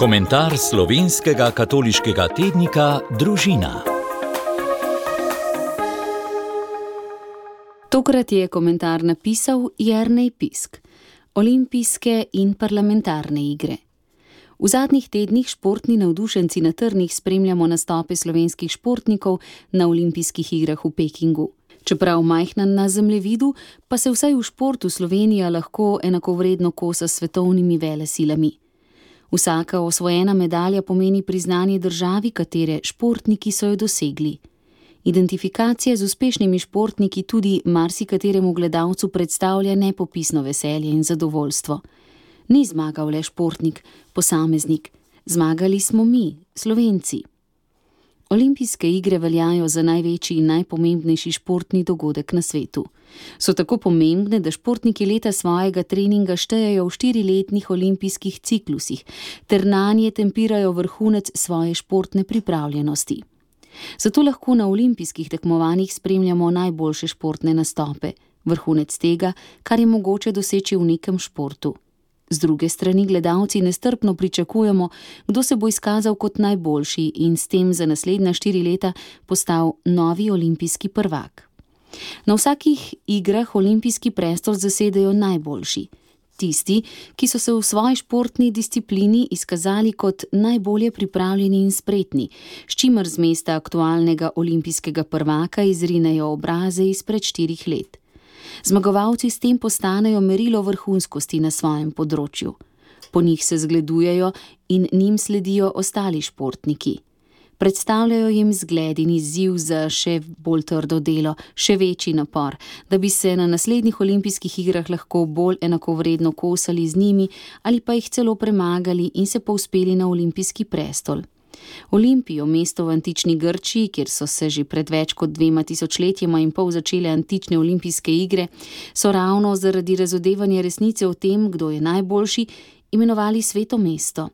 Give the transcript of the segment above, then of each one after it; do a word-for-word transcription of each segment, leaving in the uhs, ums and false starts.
Komentar slovenskega katoliškega tednika Družina. Tokrat je komentar napisal Jernej Pisk. Olimpijske in parlamentarne igre. V zadnjih tednih športni navdušenci na trnih spremljamo nastope slovenskih športnikov na olimpijskih igrah v Pekingu. Čeprav majhna na zemljevidu, pa se vsaj v športu Slovenija lahko enakovredno kosa s svetovnimi velesilami. Vsaka osvojena medalja pomeni priznanje državi, katere športniki so jo dosegli. Identifikacija z uspešnimi športniki tudi marsikateremu gledalcu predstavlja nepopisno veselje in zadovoljstvo. Ni zmagal le športnik, posameznik, zmagali smo mi, Slovenci. Olimpijske igre veljajo za največji in najpomembnejši športni dogodek na svetu. So tako pomembne, da športniki leta svojega treninga štejejo v štiriletnih olimpijskih ciklusih, ter nanje tempirajo vrhunec svoje športne pripravljenosti. Zato lahko na olimpijskih tekmovanjih spremljamo najboljše športne nastope, vrhunec tega, kar je mogoče doseči v nekem športu. Z druge strani gledalci nestrpno pričakujemo, kdo se bo izkazal kot najboljši in s tem za naslednja štiri leta postal novi olimpijski prvak. Na vsakih igrah olimpijski prestol zasedajo najboljši. Tisti, ki so se v svoji športni disciplini izkazali kot najbolje pripravljeni in spretni, s čimer z mesta aktualnega olimpijskega prvaka izrinejo obraze izpred štirih let. Zmagovalci s tem postanejo merilo vrhunskosti na svojem področju. Po njih se zgledujejo in njim sledijo ostali športniki. Predstavljajo jim zgled in izziv za še bolj trdo delo, še večji napor, da bi se na naslednjih olimpijskih igrah lahko bolj enakovredno kosali z njimi ali pa jih celo premagali in se povzpeli na olimpijski prestol. Olimpijo, mesto v antični Grčiji, kjer so se že pred več kot dvema tisočletjema in pol začele antične olimpijske igre, so ravno zaradi razodevanja resnice o tem, kdo je najboljši, imenovali sveto mesto.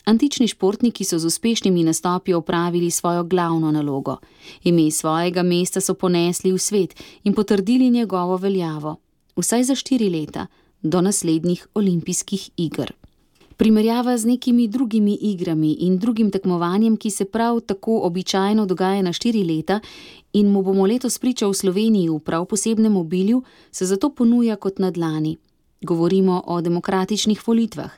Antični športniki so z uspešnimi nastopi opravili svojo glavno nalogo. Ime svojega mesta so ponesli v svet in potrdili njegovo veljavo, vsaj za štiri leta, do naslednjih olimpijskih iger. Primerjava z nekimi drugimi igrami in drugim tekmovanjem, ki se prav tako običajno dogaja na štiri leta in mu bomo letos priča v Sloveniji v prav posebnem obilju, se zato ponuja kot na dlani. Govorimo o demokratičnih volitvah.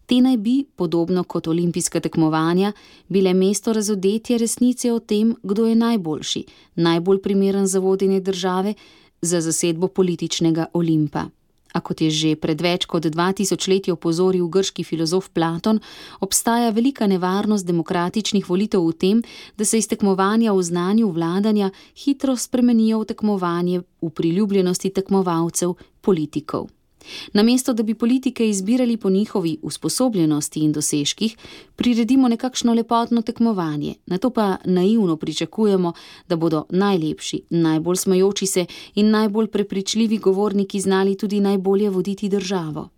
Te naj bi, podobno kot olimpijska tekmovanja, bile mesto razodetja resnice o tem, kdo je najboljši, najbolj primeren za vodenje države, za zasedbo političnega Olimpa. A kot je že pred več kot dva tisočletji opozoril grški filozof Platon, obstaja velika nevarnost demokratičnih volitev v tem, da se iz tekmovanja v znanju vladanja hitro spremenijo v tekmovanje v priljubljenosti tekmovalcev, politikov. Namesto, da bi politike izbirali po njihovi usposobljenosti in dosežkih, priredimo nekakšno lepotno tekmovanje, nato pa naivno pričakujemo, da bodo najlepši, najbolj smejoči se in najbolj prepričljivi govorniki znali tudi najbolje voditi državo.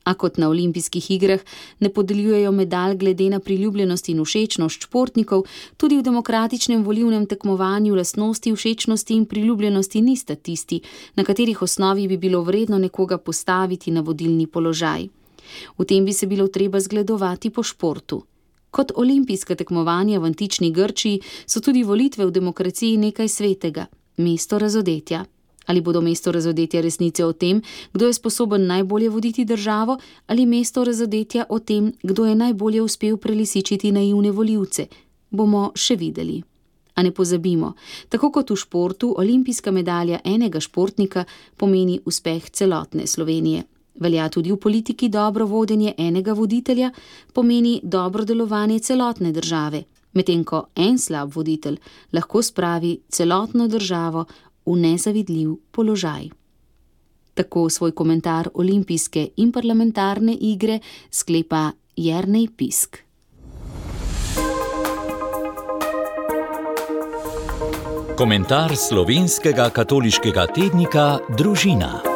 A kot na olimpijskih igrah ne podeljujejo medalj glede na priljubljenost in všečnost športnikov, tudi v demokratičnem volilnem tekmovanju lastnosti, všečnosti in priljubljenosti nista tisti, na katerih osnovi bi bilo vredno nekoga postaviti na vodilni položaj. V tem bi se bilo treba zgledovati po športu. Kot olimpijska tekmovanja v antični Grčiji so tudi volitve v demokraciji nekaj svetega, mesto razodetja. Ali bodo mesto razodetja resnice o tem, kdo je sposoben najbolje voditi državo, ali mesto razodetja o tem, kdo je najbolje uspel prelisičiti naivne volivce, bomo še videli. A ne pozabimo, tako kot v športu, olimpijska medalja enega športnika pomeni uspeh celotne Slovenije. Velja tudi v politiki dobro vodenje enega voditelja, pomeni dobro delovanje celotne države, medtem ko en slab voditelj lahko spravi celotno državo v nezavidljiv položaj. Tako svoj komentar olimpijske in parlamentarne igre sklepa Jernej Pisk. Komentar slovenskega katoliškega tednika Družina.